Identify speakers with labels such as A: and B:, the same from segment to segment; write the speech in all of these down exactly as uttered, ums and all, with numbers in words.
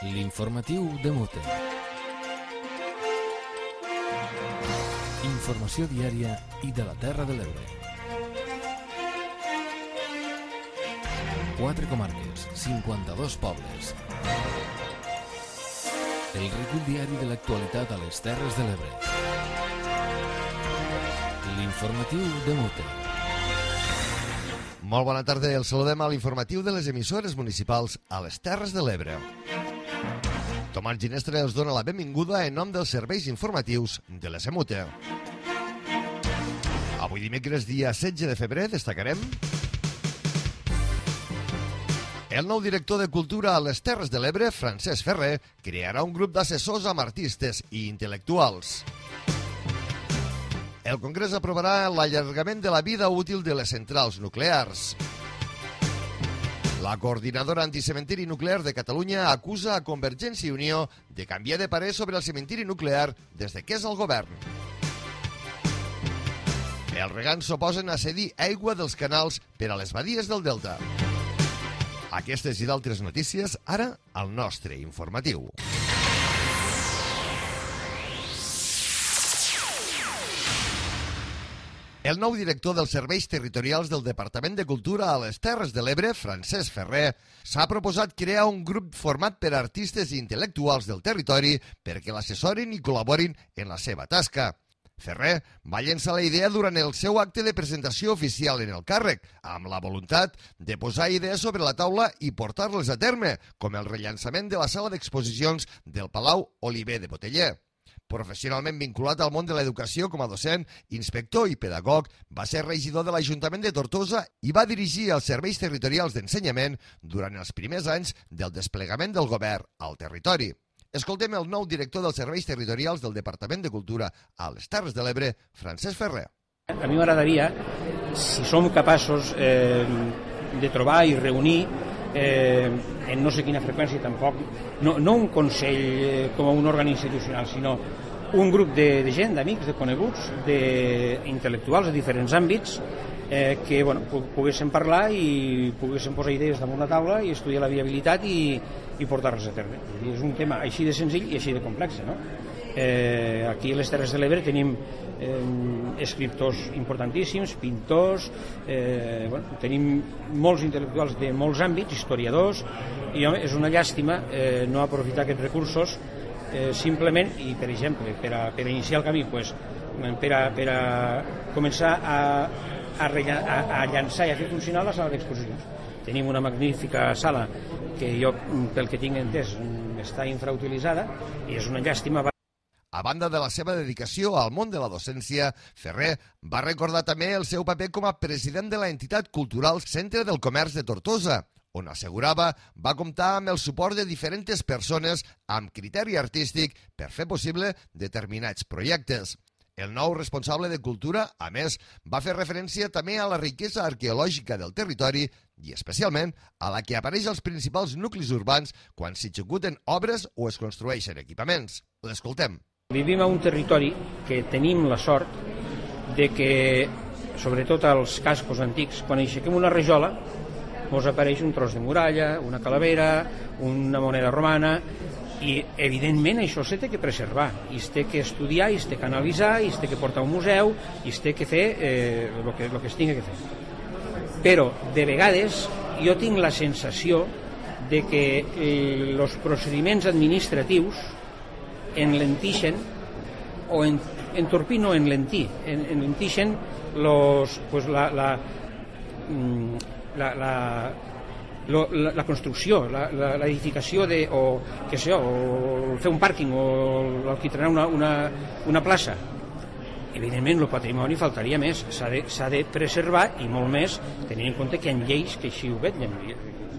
A: L'informatiu de Mute. Informació diària i de la Terra de l'Ebre. Quatre comarques, cinquanta-dos pobles. El recull diari de l'actualitat a les Terres de l'Ebre. L'informatiu de Mute.
B: Molt bona tarda, el saludem a l'informatiu de les emissores municipals a les Terres de l'Ebre. Tomàs Ginestre els dona la benvinguda en nom dels serveis informatius de l'S M U T E. Avui dimecres, dia setze de febrer, destacarem el nou director de Cultura a les Terres de l'Ebre, Francesc Ferrer, crearà un grup d'assessors amb artistes i intel·lectuals. El Congrés aprovarà l'allargament de la vida útil de les centrals nuclears. La coordinadora anticementiri nuclear de Catalunya acusa a Convergència i Unió de canviar de parer sobre el cementiri nuclear des de que és al govern. Els regants s'oposen a cedir aigua dels canals per a les badies del Delta. Aquestes i d'altres notícies, ara al nostre informatiu. El nou director dels serveis territorials del Departament de Cultura a les Terres de l'Ebre, Francesc Ferrer, s'ha proposat crear un grup format per artistes i intel·lectuals del territori perquè l'assessorin i col·laborin en la seva tasca. Ferrer va llençar la idea durant el seu acte de presentació oficial en el càrrec, amb la voluntat de posar idees sobre la taula i portar-les a terme, com el rellançament de la sala d'exposicions del Palau Oliver de Boteller. Professionalment vinculat al món de l'educació com a docent, inspector i pedagog, va ser regidor de l'Ajuntament de Tortosa i va dirigir els serveis territorials d'ensenyament durant els primers anys del desplegament del govern al territori. Escoltem el nou director dels serveis territorials del Departament de Cultura a les Terres de l'Ebre, Francesc Ferrer.
C: A mi m'agradaria, si som capaços eh, de trobar i reunir eh, en no sé quina freqüència tampoc, no, no un consell eh, com un òrgan institucional, sinó un grup de, de gent, d'amics, de coneguts, d'intel·lectuals de diferents àmbits, eh, que bueno, poguéssim parlar i poguéssim posar idees damunt la taula i estudiar la viabilitat i, i portar-les a terme. És un tema així de senzill i així de complex, no? Eh, aquí a les Terres de l'Ebre tenim eh, escriptors importantíssims, pintors, eh, bueno, tenim molts intel·lectuals de molts àmbits, historiadors, i home, és una llàstima eh, no aprofitar aquests recursos eh, simplement, i per exemple, per a, per a iniciar el camí, pues, per, a, per a començar a, a, a, a llançar i a fer funcionar la sala d'exposicions. Tenim una magnífica sala que jo, pel que tinc entès, està infrautilitzada i és una llàstima.
B: A banda de la seva dedicació al món de la docència, Ferrer va recordar també el seu paper com a president de la entitat cultural Centre del Comerç de Tortosa, on assegurava va comptar amb el suport de diferents persones amb criteri artístic per fer possible determinats projectes. El nou responsable de Cultura, a més, va fer referència també a la riquesa arqueològica del territori i especialment a la que apareix als principals nuclis urbans quan s'executen obres o es construeixen equipaments. L'escoltem.
C: Vivim a un territori que tenim la sort de que, sobretot als cascos antics, quan aixequem una rajola, ens apareix un tros de muralla, una calavera, una moneda romana, i evidentment això s'ha de preservar, i es té que estudiar, i es té que analitzar, i es té que portar a un museu, i es té que fer eh, el que, el que es tingui que fer. Però, de vegades, jo tinc la sensació de que els procediments administratius enlentixen o en, entorpir no enlentir, en, enlentixen los, pues la, la, la, la, lo, la, la construcció, la, la, l'edificació de, o, què sé, o fer un pàrquing o alquitrar una, una, una plaça. Evidentment el patrimoni faltaria més, s'ha de, s'ha de preservar i molt més tenint en compte que hi ha lleis que així ho vetllen,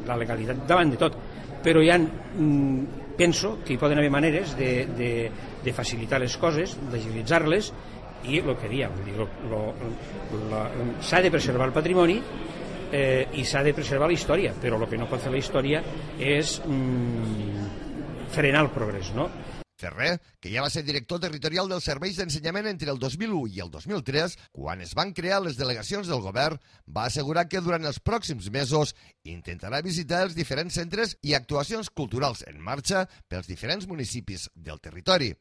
C: la legalitat davant de tot, però hi ha mm, penso que hi poden haver maneres de, de, de facilitar les coses, d'agilitzar-les, i el que diem, s'ha de preservar el patrimoni eh, i s'ha de preservar la història, però el que no pot fer la història és mm, frenar el progrés, no?
B: Ferrer, que ja va ser director territorial dels serveis d'ensenyament entre el dos mil u i el dos mil tres, quan es van crear les delegacions del govern, va assegurar que durant els pròxims mesos intentarà visitar els diferents centres i actuacions culturals en marxa pels diferents municipis del territori.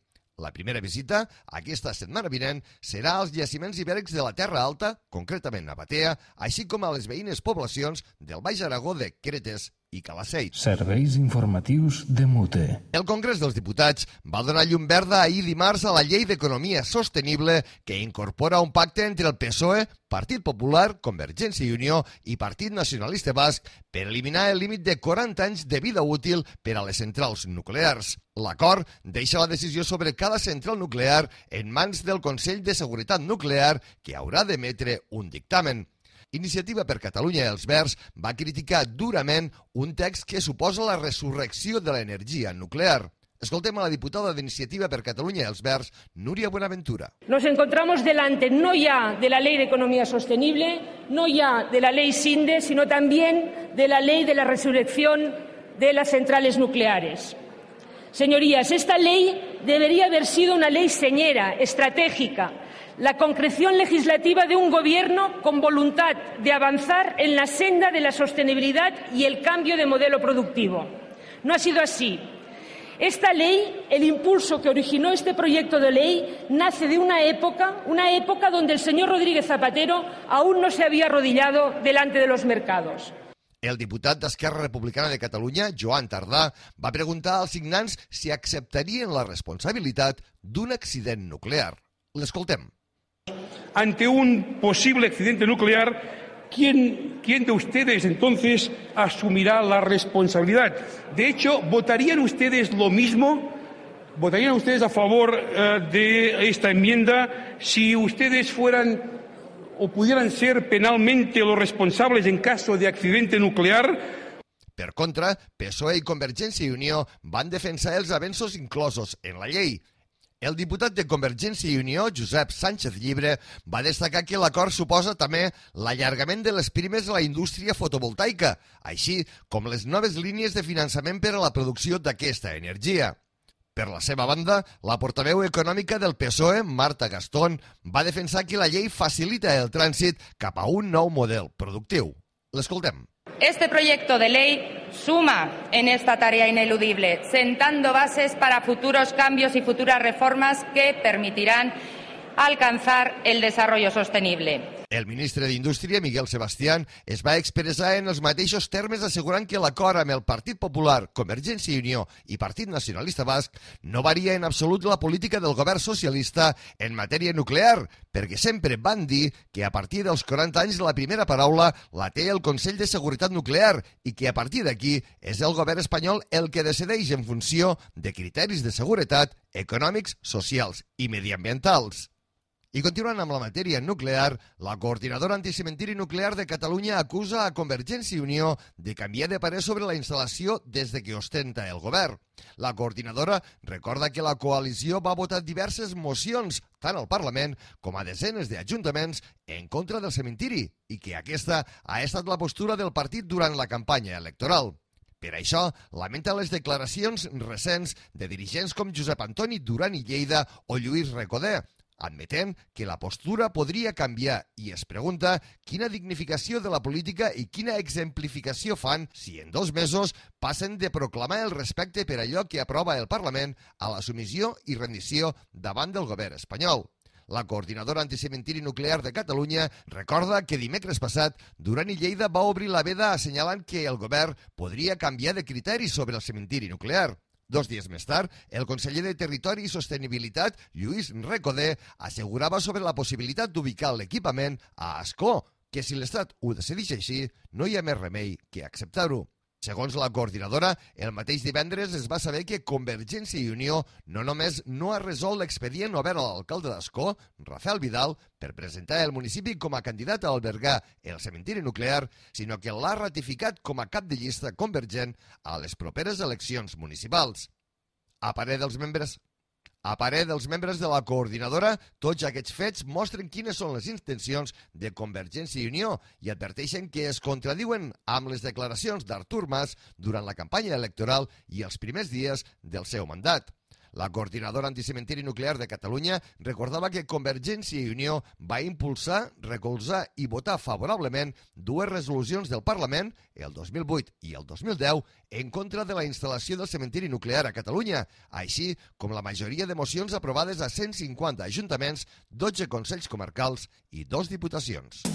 B: La primera visita, aquesta setmana vinent, serà als jaciments ibèrics de la Terra Alta, concretament a Batea, així com a les veïnes poblacions del Baix Aragó de Cretes i Calaceit.
A: Serveis informatius de Mute.
B: El Congrés dels Diputats va donar llum verda ahir dimarts a la Llei d'Economia Sostenible que incorpora un pacte entre el P S O E, Partit Popular, Convergència i Unió i Partit Nacionalista Basc per eliminar el límit de quaranta anys de vida útil per a les centrals nuclears. L'acord deixa la decisió sobre cada central nuclear en mans del Consell de Seguretat Nuclear, que haurà d'emetre un dictamen. Iniciativa per Catalunya i els Verds va criticar durament un text que suposa la resurrecció de l'energia nuclear. Escoltem a la diputada d'Iniciativa per Catalunya i els Verds, Núria Buenaventura.
D: Nos encontramos delante no ya de la Ley de Economía Sostenible, no ya de la Ley SINDE, sino también de la Ley de la Resurrección de las Centrales Nucleares. Señorías, esta ley debería haber sido una ley señera, estratégica, la concreción legislativa de un gobierno con voluntad de avanzar en la senda de la sostenibilidad y el cambio de modelo productivo. No ha sido así. Esta ley, el impulso que originó este proyecto de ley, nace de una época, una época donde el señor Rodríguez Zapatero aún no se había arrodillado delante de los mercados.
B: El diputat d'Esquerra Republicana de Catalunya, Joan Tardà, va preguntar als signants si acceptarien la responsabilitat d'un accident nuclear. L'escoltem.
E: Ante un posible accidente nuclear, ¿quién, quién de ustedes entonces asumirá la responsabilidad? De hecho, ¿votarían ustedes lo mismo? ¿Votarían ustedes a favor eh, de esta enmienda si ustedes fueran o pudieran ser penalmente los responsables en caso de accidente nuclear?
B: Per contra, P S O E i Convergència i Unió van defensar els avenços inclosos en la llei. El diputat de Convergència i Unió, Josep Sánchez Llibre, va destacar que l'acord suposa també l'allargament de les primes a la indústria fotovoltaica, així com les noves línies de finançament per a la producció d'aquesta energia. Per la seva banda, la portaveu econòmica del P S O E, Marta Gastón, va defensar que la llei facilita el trànsit cap a un nou model productiu. L'escoltem.
F: Este proyecto de ley suma en esta tarea ineludible, sentando bases para futuros cambios y futuras reformas que permitirán alcanzar el desarrollo sostenible.
B: El ministre d'Indústria, Miguel Sebastián, es va expressar en els mateixos termes assegurant que l'acord amb el Partit Popular, Convergència i Unió i Partit Nacionalista Basc no varia en absolut la política del govern socialista en matèria nuclear, perquè sempre van dir que a partir dels quaranta anys la primera paraula la té el Consell de Seguretat Nuclear i que a partir d'aquí és el govern espanyol el que decideix en funció de criteris de seguretat econòmics, socials i mediambientals. I continuant amb la matèria nuclear, la coordinadora anticementiri nuclear de Catalunya acusa a Convergència i Unió de canviar de parer sobre la instal·lació des de que ostenta el govern. La coordinadora recorda que la coalició va votar diverses mocions, tant al Parlament com a desenes d'ajuntaments, en contra del cementiri i que aquesta ha estat la postura del partit durant la campanya electoral. Per això, lamenta les declaracions recents de dirigents com Josep Antoni Duran i Lleida o Lluís Recoder, admetent que la postura podria canviar i es pregunta quina dignificació de la política i quina exemplificació fan si en dos mesos passen de proclamar el respecte per allò que aprova el Parlament a la submissió i rendició davant del govern espanyol. La coordinadora anticementiri nuclear de Catalunya recorda que dimecres passat Duran i Lleida va obrir la veda assenyalant que el govern podria canviar de criteri sobre el cementiri nuclear. Dos dies més tard, el conseller de Territori i Sostenibilitat, Lluís Recoder, assegurava sobre la possibilitat d'ubicar l'equipament a Ascó, que si l'Estat ho decideix així, no hi ha més remei que acceptar-ho. Segons la coordinadora, el mateix divendres es va saber que Convergència i Unió no només no ha resolt l'expedient obert a l'alcalde d'Ascó, Rafael Vidal, per presentar el municipi com a candidat a albergar el cementiri nuclear, sinó que l'ha ratificat com a cap de llista convergent a les properes eleccions municipals. A parer dels membres... A parer dels membres de la coordinadora, tots aquests fets mostren quines són les intencions de Convergència i Unió i adverteixen que es contradiuen amb les declaracions d'Artur Mas durant la campanya electoral i els primers dies del seu mandat. La coordinadora anticementiri nuclear de Catalunya recordava que Convergència i Unió va impulsar, recolzar i votar favorablement dues resolucions del Parlament, el dos mil vuit i el dos mil deu, en contra de la instal·lació del cementiri nuclear a Catalunya, així com la majoria de mocions aprovades a cent cinquanta ajuntaments, dotze consells comarcals i dos diputacions.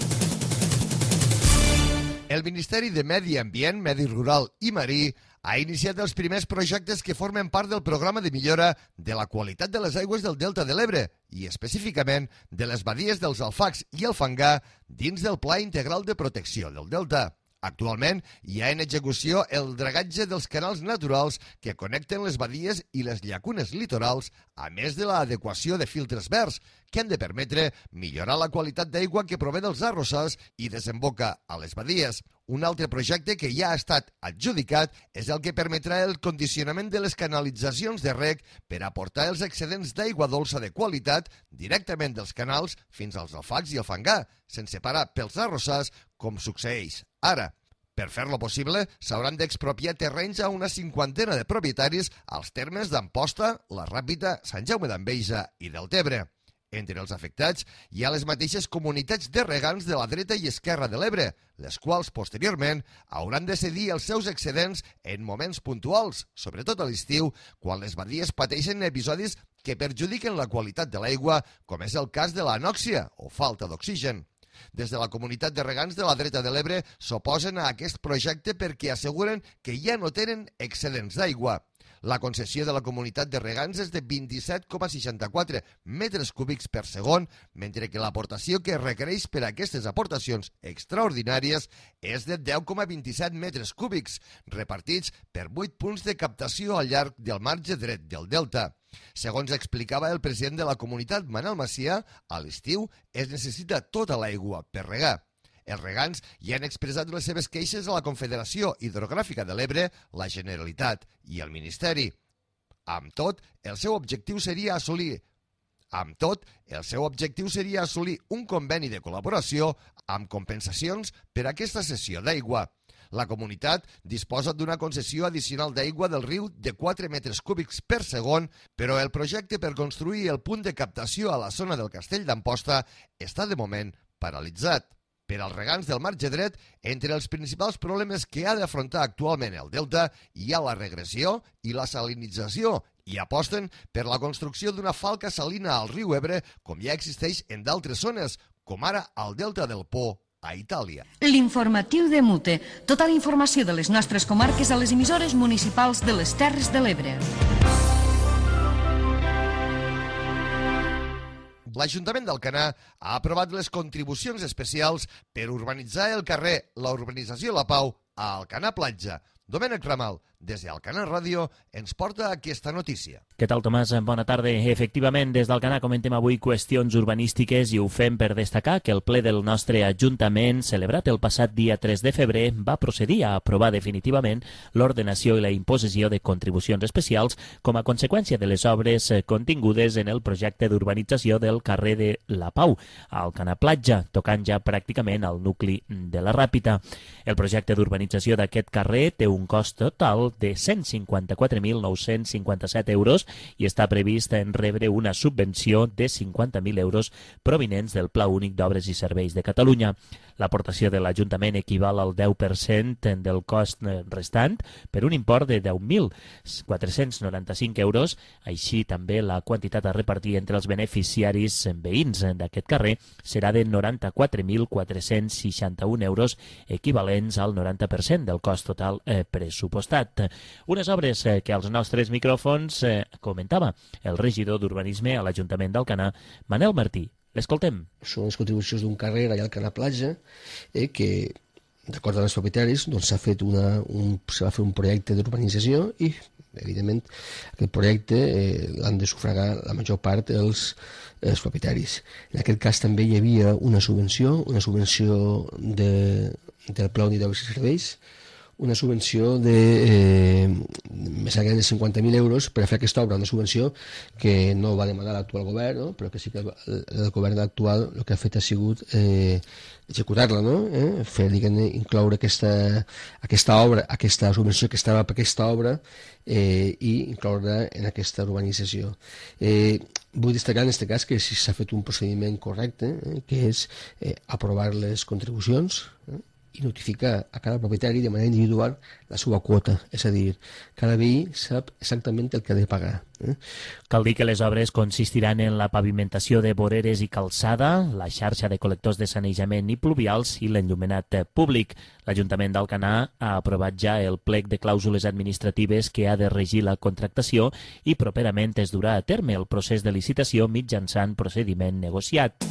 B: El Ministeri de Medi Ambient, Medi Rural i Marí ha iniciat els primers projectes que formen part del programa de millora de la qualitat de les aigües del Delta de l'Ebre i específicament de les badies dels Alfacs i el Fangar dins del Pla Integral de Protecció del Delta. Actualment hi ha en execució el dragatge dels canals naturals que connecten les badies i les llacunes litorals, a més de l'adequació de filtres verds, que han de permetre millorar la qualitat d'aigua que prové dels arrossars i desemboca a les badies. Un altre projecte que ja ha estat adjudicat és el que permetrà el condicionament de les canalitzacions de reg per aportar els excedents d'aigua dolça de qualitat directament dels canals fins als Alfacs i el Fangar, sense parar pels arrossars, com succeeix ara. Per fer-lo possible, s'hauran d'expropiar terrenys a una cinquantena de propietaris als termes d'Amposta, la Ràpita, Sant Jaume d'Enveja i Deltebre. Entre els afectats hi ha les mateixes comunitats de regants de la dreta i esquerra de l'Ebre, les quals, posteriorment, hauran de cedir els seus excedents en moments puntuals, sobretot a l'estiu, quan les badies pateixen episodis que perjudiquen la qualitat de l'aigua, com és el cas de l'anòxia o falta d'oxigen. Des de la comunitat de regants de la dreta de l'Ebre s'oposen a aquest projecte perquè asseguren que ja no tenen excedents d'aigua. La concessió de la comunitat de regants és de vint-i-set coma seixanta-quatre metres cúbics per segon, mentre que l'aportació que requereix per a aquestes aportacions extraordinàries és de deu coma vint-i-set metres cúbics, repartits per vuit punts de captació al llarg del marge dret del delta. Segons explicava el president de la comunitat, Manel Macià, a l'estiu es necessita tota l'aigua per regar. Els regants ja han expressat les seves queixes a la Confederació Hidrogràfica de l'Ebre, la Generalitat i el Ministeri. Amb tot, el seu objectiu seria assolir Amb tot, el seu objectiu seria assolir un conveni de col·laboració amb compensacions per a aquesta cessió d'aigua. La comunitat disposa d'una concessió addicional d'aigua del riu de quatre metres cúbics per segon, però el projecte per construir el punt de captació a la zona del Castell d'Amposta està de moment paralitzat. Per als regants del marge dret, entre els principals problemes que ha d'afrontar actualment el delta hi ha la regressió i la salinització i aposten per la construcció d'una falca salina al riu Ebre com ja existeix en d'altres zones, com ara al delta del Po, a Itàlia.
G: L'informatiu de Mute. Tota la informació de les nostres comarques a les emissores municipals de les Terres de l'Ebre.
B: L'Ajuntament d'Alcanar ha aprovat les contribucions especials per urbanitzar el carrer La Urbanització La Pau a Alcanar Platja. Domènec Ramal, des d'Alcanar Ràdio, ens porta aquesta notícia.
H: Què tal, Tomàs? Bona tarda. Efectivament, des d'Alcanar comentem avui qüestions urbanístiques i ho fem per destacar que el ple del nostre Ajuntament, celebrat el passat dia tres de febrer, va procedir a aprovar definitivament l'ordenació i la imposició de contribucions especials com a conseqüència de les obres contingudes en el projecte d'urbanització del carrer de La Pau, a Alcanar Platja, tocant ja pràcticament al nucli de la Ràpita. El projecte d'urbanització d'aquest carrer té un cost total de cent cinquanta-quatre mil nou-cents cinquanta-set euros i està previst en rebre una subvenció de cinquanta mil euros provinents del Pla Únic d'Obres i Serveis de Catalunya. L'aportació de l'Ajuntament equival al deu per cent del cost restant per un import de deu mil quatre-cents noranta-cinc euros. Així també la quantitat a repartir entre els beneficiaris veïns d'aquest carrer serà de noranta-quatre mil quatre-cents seixanta-un euros, equivalents al noranta per cent del cost total eh, pressupostat. Unes obres eh, que als nostres micròfons eh, comentava el regidor d'Urbanisme a l'Ajuntament d'Alcanar, Manel Martí. L'escoltem.
I: Són les contribucions d'un carrer allà al Alcanar Platja, eh, que, d'acord amb els propietaris, doncs s'ha fet una, un, se va fer un projecte d'urbanització i, evidentment, aquest projecte eh, l'han de sufragar la major part els, els propietaris. En aquest cas també hi havia una subvenció, una subvenció de, del Pla Únic d'Obres i Serveis, una subvenció de eh, més enllà de cinquanta mil euros per a fer aquesta obra, una subvenció que no va demanar l'actual govern, no? Però que sí que el, el govern actual el que ha fet ha sigut eh, executar-la, no? eh? Fer, diguem-ne, incloure aquesta, aquesta obra, aquesta subvenció que estava per aquesta obra eh, i incloure en aquesta urbanització. Eh, vull destacar en aquest cas que si s'ha fet un procediment correcte, eh, que és eh, aprovar les contribucions eh, i notificar a cada propietari de manera individual la seva quota, és a dir, cada veí sap exactament el que ha de pagar. Eh?
H: Cal dir que les obres consistiran en la pavimentació de voreres i calçada, la xarxa de col·lectors de sanejament i pluvials i l'enllumenat públic. L'Ajuntament d'Alcanar ha aprovat ja el plec de clàusules administratives que ha de regir la contractació i properament es durà a terme el procés de licitació mitjançant procediment negociat.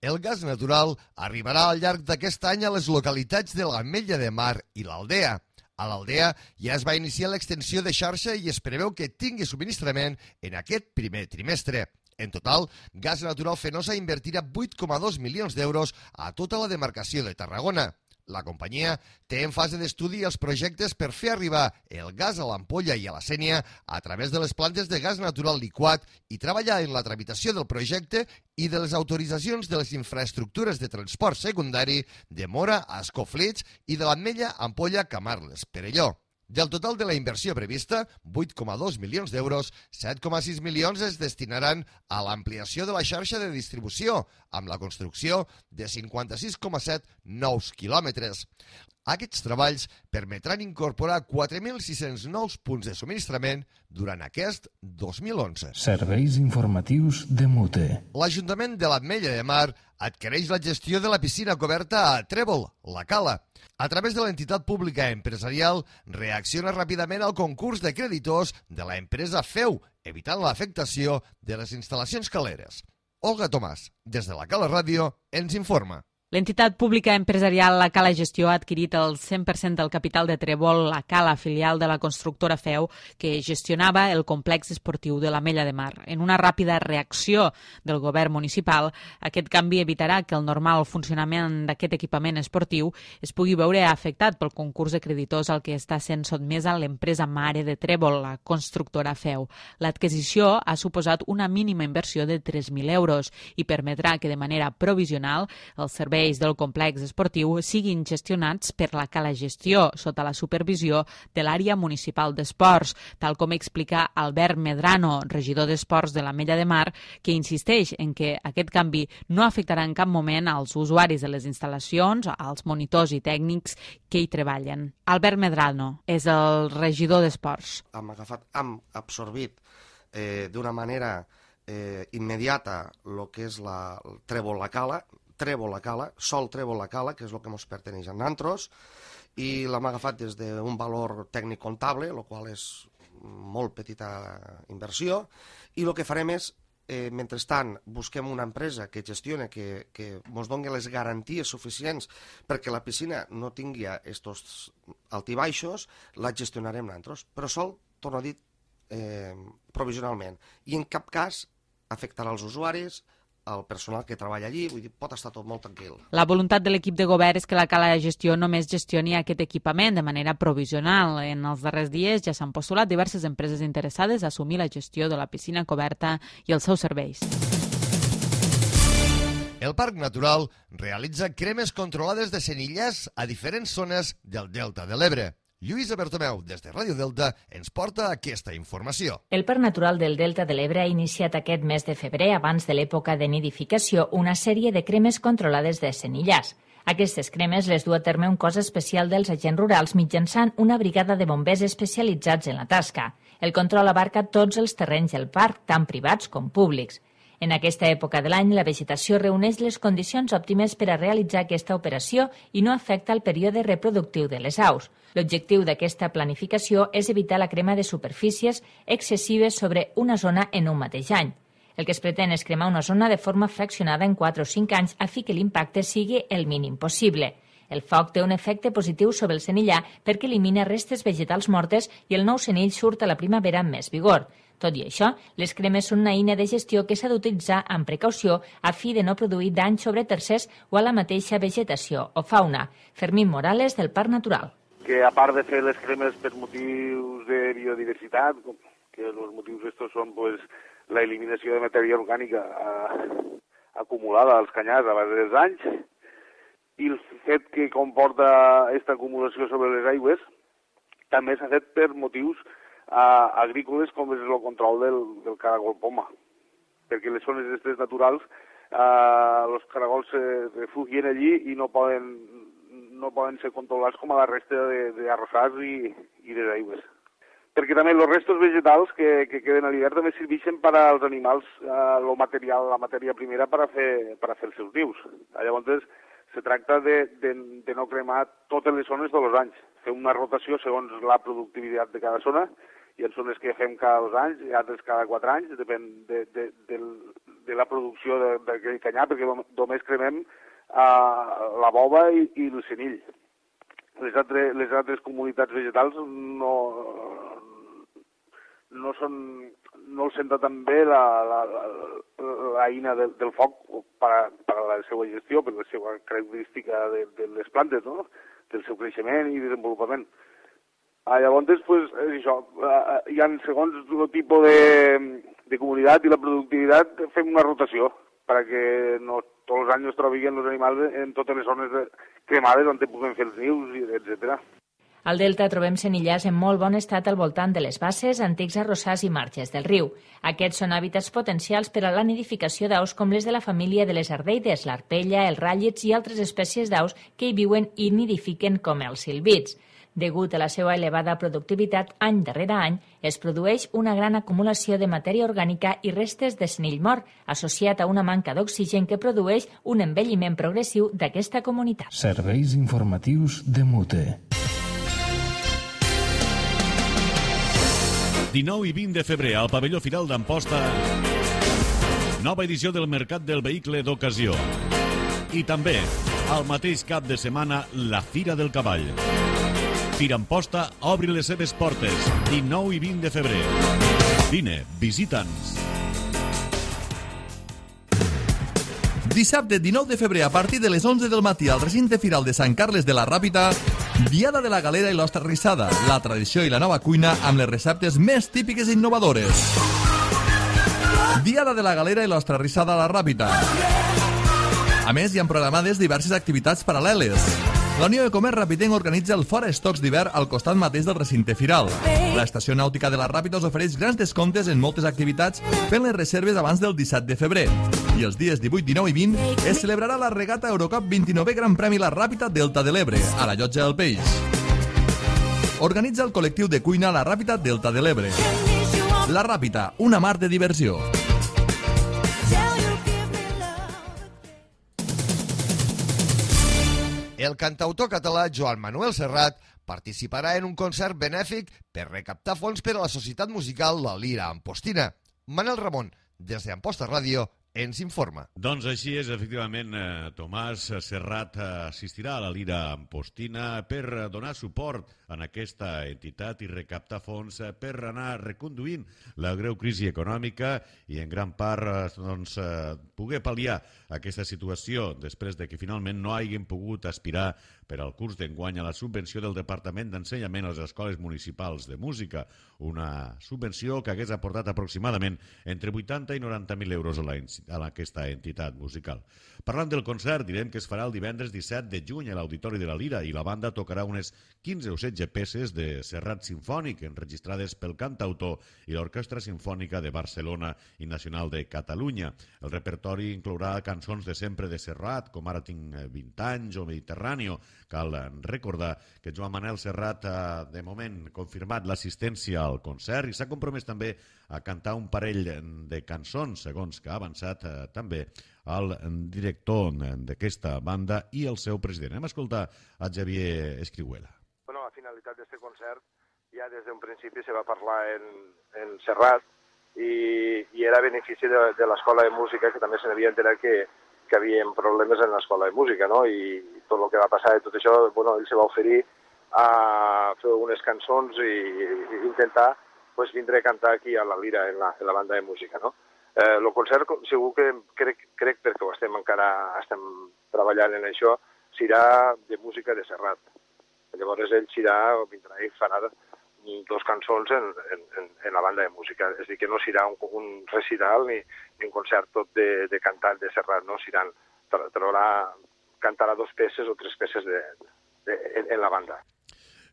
B: El gas natural arribarà al llarg d'aquest any a les localitats de l'Ametlla de Mar i l'Aldea. A l'Aldea ja es va iniciar l'extensió de xarxa i es preveu que tingui subministrament en aquest primer trimestre. En total, Gas Natural Fenosa invertirà vuit coma dos milions d'euros a tota la demarcació de Tarragona. La companyia té en fase d'estudi els projectes per fer arribar el gas a l'Ampolla i a la Sénia a través de les plantes de gas natural liquat i treballar en la tramitació del projecte i de les autoritzacions de les infraestructures de transport secundari de Móra a Escoflits i de l'Ametlla Ampolla Camarles, Perelló. Del total de la inversió prevista, vuit coma dos milions d'euros, set coma sis milions es destinaran a l'ampliació de la xarxa de distribució, amb la construcció de cinquanta-sis coma set nous quilòmetres. Aquests treballs permetran incorporar quatre mil sis-cents nous punts de subministrament durant aquest dos mil onze.
J: Serveis informatius de Mute.
B: L'Ajuntament de l'Ametlla de Mar adquireix la gestió de la piscina coberta a Trèvol, la Cala. A través de l'entitat pública empresarial, reacciona ràpidament al concurs de creditors de la empresa Feu, evitant l'afectació de les instal·lacions caleres. Olga Tomàs, des de la Cala Ràdio, ens informa.
K: L'entitat pública empresarial La Cala Gestió ha adquirit el cent per cent del capital de Trèvol, La Cala, filial de la constructora Feu, que gestionava el complex esportiu de l'Ametlla de Mar. En una ràpida reacció del govern municipal, aquest canvi evitarà que el normal funcionament d'aquest equipament esportiu es pugui veure afectat pel concurs de creditors al que està sent sotmesa l'empresa mare de Trèvol, la constructora Feu. L'adquisició ha suposat una mínima inversió de tres mil euros i permetrà que de manera provisional els serveis del complex esportiu siguin gestionats per la Cala Gestió sota la supervisió de l'àrea municipal d'esports, tal com explica Albert Medrano, regidor d'esports de l'Ametlla de Mar, que insisteix en que aquest canvi no afectarà en cap moment als usuaris de les instal·lacions, als monitors i tècnics que hi treballen. Albert Medrano és el regidor d'esports.
L: Hem agafat, hem absorbit eh, d'una manera eh, immediata el que és la Trèvol La Cala, Trèvol La Cala, sol Trèvol La Cala, que és el que ens perteneix a nosaltres, i l'hem agafat des d'un valor tècnic comptable, el qual és molt petita inversió, i el que farem és, eh, mentrestant, busquem una empresa que gestione, que, que ens doni les garanties suficients perquè la piscina no tingui estos altibaixos, la gestionarem nosaltres. Però sol, torno a dir, eh, provisionalment. I en cap cas afectarà els usuaris, el personal que treballa allí, vull dir, pot estar tot molt tranquil.
K: La voluntat de l'equip de govern és que la Cala de Gestió només gestioni aquest equipament de manera provisional. En els darrers dies ja s'han postulat diverses empreses interessades a assumir la gestió de la piscina coberta i els seus serveis.
B: El Parc Natural realitza cremes controlades de senillars a diferents zones del Delta de l'Ebre. Lluïsa Bertomeu, des de Ràdio Delta, ens porta aquesta informació.
M: El Parc Natural del Delta de l'Ebre ha iniciat aquest mes de febrer, abans de l'època de nidificació, una sèrie de cremes controlades de senillars. Aquestes cremes les du a terme un cos especial dels agents rurals mitjançant una brigada de bombers especialitzats en la tasca. El control abarca tots els terrenys del parc, tant privats com públics. En aquesta època de l'any, la vegetació reuneix les condicions òptimes per a realitzar aquesta operació i no afecta el període reproductiu de les aus. L'objectiu d'aquesta planificació és evitar la crema de superfícies excessives sobre una zona en un mateix any. El que es pretén és cremar una zona de forma fraccionada en quatre o cinc anys a fi que l'impacte sigui el mínim possible. El foc té un efecte positiu sobre el senillar perquè elimina restes vegetals mortes i el nou senill surt a la primavera amb més vigor. Tot i això, les cremes són una eina de gestió que s'ha d'utilitzar amb precaució a fi de no produir danys sobre tercers o a la mateixa vegetació o fauna. Fermín Morales, del Parc Natural.
N: Que a part de fer les cremes per motius de biodiversitat, que els motius estos són pues, la eliminació de matèria orgànica eh, acumulada als canyars a base dels anys, i el fet que comporta aquesta acumulació sobre les aigües també s'ha fet per motius uh, agrícoles com és el control del, del caragol poma, perquè les zones aquestes naturals els uh, caragols se refugien allí i no poden, no poden ser controlats com a la resta d'arrossars i, i de aigües. Perquè també els restos vegetals que, que queden a l'hivern també serveixen per als animals uh, lo material, la matèria primera per a fer, per a fer els seus nius. Llavors, se tracta de, de, de no cremar totes les zones tots els anys, fer una rotació segons la productivitat de cada zona. Hi ha zones que fem cada dos anys i altres cada quatre anys, depèn de, de, de, de la producció d'aquell canyar, perquè només cremem uh, la bova i, i el senill. Les altres, les altres comunitats vegetals no, no són, no els senta tan bé la, la, la, la eina del, del foc per a, per a la seva gestió, per la seva característica de, de les plantes, no? Del seu creixement i desenvolupament. Ah, llavors, pues, és això, uh, hi ha, segons el tipus de, de comunitat i la productivitat, fem una rotació perquè no tots els anys es trobin els animals en totes les zones cremades on puguem fer els nius, etcètera.
M: Al delta trobem senillars en molt bon estat al voltant de les basses, antics arrossars i marges del riu. Aquests són hàbitats potencials per a la nidificació d'aus com les de la família de les ardeides, l'arpella, els ràllits i altres espècies d'aus que hi viuen i nidifiquen com els silvits. Degut a la seva elevada productivitat, any darrere any, es produeix una gran acumulació de matèria orgànica i restes de senill mort, associat a una manca d'oxigen que produeix un envelliment progressiu d'aquesta comunitat.
J: Serveis informatius de Mute.
O: dinou i vint de febrer al pavelló Firal d'Amposta, nova edició del Mercat del Vehicle d'Ocasió. I també, al mateix cap de setmana, la Fira del Cavall. Fira Amposta obri les seves portes, dinou i vint de febrer. Vine, visita'ns.
P: Dissabte dinou de febrer a partir de les onze del matí al recinte firal de Sant Carles de la Ràpita, Diada de la Galera i l'Ostra Rissada, la tradició i la nova cuina amb les receptes més típiques i innovadores. Diada de la Galera i l'Ostra Rissada a la Ràpita. A més, hi ha programades diverses activitats paral·leles. La Unió de Comerç Rapitenc organitza el Fora Estocs d'hivern al costat mateix del recinte firal. L'Estació Nàutica de la Ràpita us ofereix grans descomptes en moltes activitats fent les reserves abans del disset de febrer. I els dies divuit, dinou i vint es celebrarà la regata Eurocup vint-i-novè Gran Premi La Ràpita Delta de l'Ebre, a la Llotja del Peix. Organitza el col·lectiu de cuina La Ràpita Delta de l'Ebre. La Ràpita, una mar de diversió.
B: El cantautor català Joan Manuel Serrat participarà en un concert benèfic per recaptar fons per a la societat musical La Lira Ampostina. Manel Ramon, des d'Amposta Ràdio, ens informa.
O: Doncs així és, efectivament, eh, Tomàs Serrat assistirà a la Lira Ampostina per donar suport en aquesta entitat i recaptar fons per anar reconduint la greu crisi econòmica i en gran part doncs, poder pal·liar aquesta situació després de que finalment no hagin pogut aspirar per al curs d'enguany a la subvenció del Departament d'Ensenyament a les escoles municipals de música, una subvenció que hagués aportat aproximadament entre vuitanta i noranta mil euros a, la, a aquesta entitat musical. Parlant del concert, direm que es farà el divendres disset de juny a l'Auditori de la Lira i la banda tocarà unes quinze o setze peces de Serrat Simfònic enregistrades pel cantautor i l'Orquestra Simfònica de Barcelona i Nacional de Catalunya. El repertori inclourà cançons de sempre de Serrat, com Ara tinc vint anys o Mediterráneo. Cal recordar que Joan Manuel Serrat ha, de moment, confirmat l'assistència al concert i s'ha compromès també a cantar un parell de cançons, segons que ha avançat eh, també el director d'aquesta banda i el seu president. Hem escoltat a Xavier Escrihuela.
Q: Bueno, a finalitat d'aquest concert, ja des d'un principi se va parlar en, en Serrat i, i era benefici de, de l'Escola de Música, que també se n'havia enterat que, que hi havia problemes en l'Escola de Música, no? I tot el que va passar i tot això, bueno, ell se va oferir a fer unes cançons i, i intentar pues vindré a cantar aquí a la Lira, en la, en la banda de música, no? Eh, el concert, segur que crec, crec perquè ho estem encara estem treballant en això, serà de música de Serrat. Llavors ell serà, vindrà i farà dos cançons en, en, en la banda de música. És a dir, que no serà un, un recital ni, ni un concert tot de, de cantant de Serrat, no? Seran, trobarà, cantarà dos peces o tres peces de, de, en, en la banda.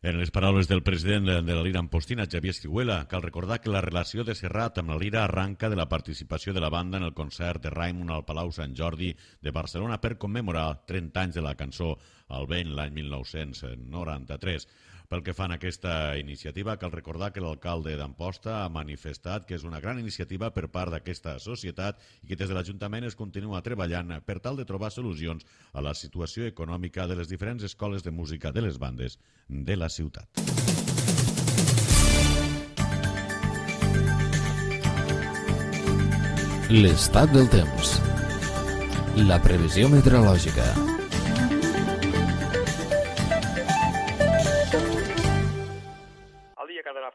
O: En les paraules del president de la Lira Ampostina, Xavier Escrihuela, cal recordar que la relació de Serrat amb la Lira arranca de la participació de la banda en el concert de Raimon al Palau Sant Jordi de Barcelona per commemorar trenta anys de la cançó al vent l'any mil nou-cents noranta-tres. Pel que fa a aquesta iniciativa, cal recordar que l'alcalde d'Amposta ha manifestat que és una gran iniciativa per part d'aquesta societat i que des de l'Ajuntament es continua treballant per tal de trobar solucions a la situació econòmica de les diferents escoles de música de les bandes de la ciutat.
A: L'estat del temps. La previsió meteorològica.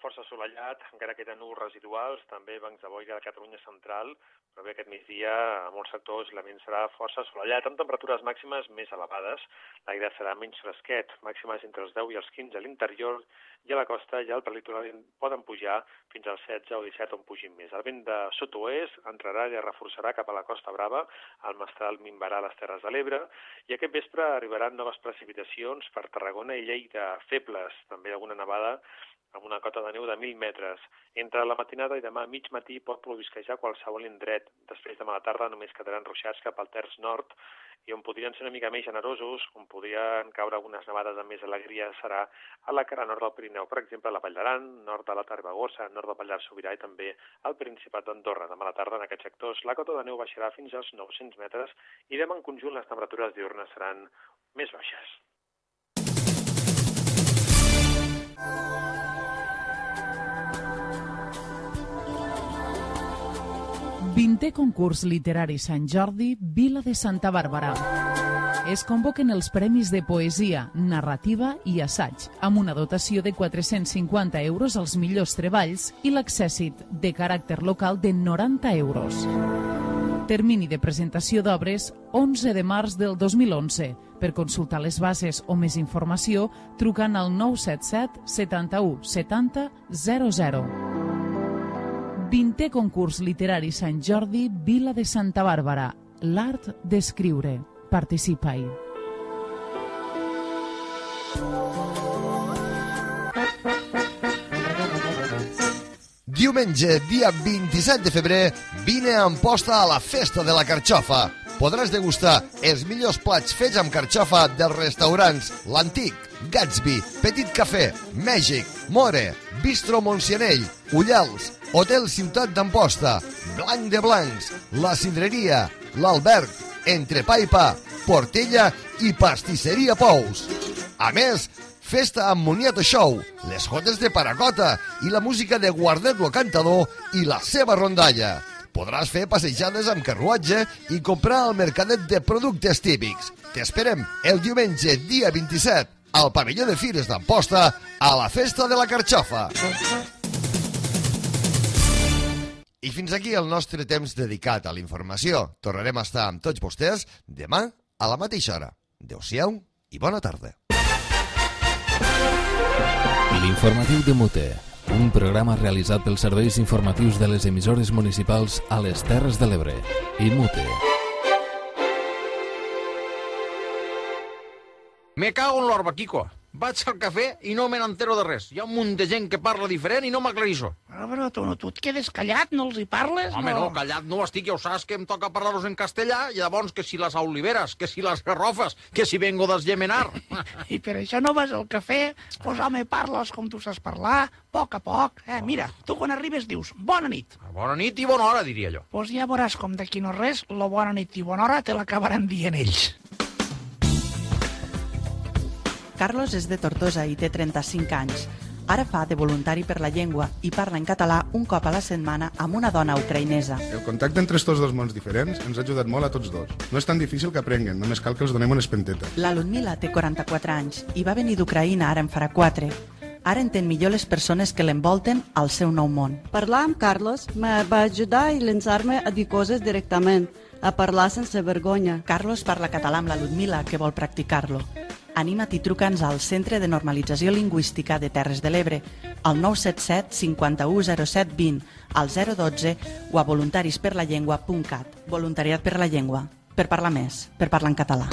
R: Força assolellat, encara queden núvols residuals, també bancs de boira de Catalunya central, però bé, aquest migdia a molts sectors l'ambient serà força assolellat, amb temperatures màximes més elevades. L'aire serà menys fresquet, màximes entre els deu i els quinze a l'interior, i a la costa ja al prelitoral poden pujar fins als setze o disset on pugin més. El vent de sud-oest entrarà i es reforçarà cap a la Costa Brava, el mestral minvarà a les Terres de l'Ebre, i aquest vespre arribaran noves precipitacions per Tarragona i Lleida, febles, també alguna nevada, amb una cota de neu de mil metres. Entre la matinada i demà a mig matí pot plovisquejar qualsevol indret. Després de la tarda només quedaran ruixats cap al terç nord i on podrien ser una mica més generosos, on podrien caure algunes nevades amb més alegria, serà a la cara nord del Pirineu, per exemple a la Vall d'Aran, nord de la Tarbagossa, nord del Pallars Sobirà i també al Principat d'Andorra. Demà a la tarda en aquests sectors la cota de neu baixarà fins als nou-cents metres i demà en conjunt les temperatures diürnes seran més baixes.
S: vintè concurs literari Sant Jordi, Vila de Santa Bàrbara. Es convoquen els premis de poesia, narrativa i assaig, amb una dotació de quatre-cents cinquanta euros als millors treballs i l'accèssit de caràcter local de noranta euros. Termini de presentació d'obres onze de març del dos mil onze. Per consultar les bases o més informació, trucant al nou set set setanta-u setanta zero zero. vintè concurs literari Sant Jordi, Vila de Santa Bàrbara. L'art d'escriure. Participa-hi.
B: Diumenge, dia vint-i-set de febrer, vine a Amposta a la Festa de la Carxofa. Podràs degustar els millors plats fets amb carxofa dels restaurants L'Antic, Gatsby, Petit Cafè, Mèxic, More, Bistro Montsianell, Ullals, Hotel Ciutat d'Amposta, Blanc de Blancs, La Cidreria, L'Alberg, Entrepà i Pa, Portella i Pastisseria Pous. A més, festa amb Moniato Show, les jotes de Paracota i la música de Guardet lo Cantador i la seva rondalla. Podràs fer passejades amb carruatge i comprar al mercadet de productes típics. T'esperem el diumenge, dia vint-i-set, al pavelló de Fires d'Amposta, a la Festa de la Carxofa. I fins aquí el nostre temps dedicat a la informació. Tornarem a estar amb tots vostès demà a la mateixa hora. Adéu-siau i bona tarda.
A: L'informatiu de Mute, un programa realitzat pels serveis informatius de les emissores municipals a les Terres de l'Ebre i Mute.
T: Me cago en l'orba, Kiko. Vaig al cafè i no me n'entero de res. Hi ha un munt de gent que parla diferent i no m'aclarissó.
U: Però, però tu, no, tu et quedes callat, no els hi parles?
T: Home,
U: no,
T: no callat no estic, ja ho saps que em toca parlar-los en castellà, i llavors que si les oliveres, que si les garrofes, que si vengo d'Esgemenar.
U: I per això no vas al cafè? Pues home, parles com tu saps parlar, a poc a poc. Eh, mira, tu quan arribes dius bona nit.
T: Bona nit i bona hora, diria jo.
U: Pues ja veuràs com d'aquí no res, la bona nit i bona hora te l'acabaran dient ells.
V: Carlos és de Tortosa i té trenta-cinc anys. Ara fa de voluntari per la llengua i parla en català un cop a la setmana amb una dona ucraïnesa.
W: El contacte entre estos dos mons diferents ens ha ajudat molt a tots dos. No és tan difícil que aprenguen, només cal que els donem una espenteta.
V: La Ludmila té quaranta-quatre anys i va venir d'Ucraïna ara en farà quatre. Ara entén millor les persones que l'envolten al seu nou món.
C: Parlar amb Carlos me va ajudar a llançar-me a dir coses directament, a parlar sense vergonya.
V: Carlos parla català amb la Ludmila, que vol practicar-lo. Anima't i truca'ns al Centre de Normalització Lingüística de Terres de l'Ebre, al nou set set cinquanta-u zero set vint, al zero dotze o a voluntarisperlallengua punt cat. Voluntariat per la llengua. Per parlar més, per parlar en català.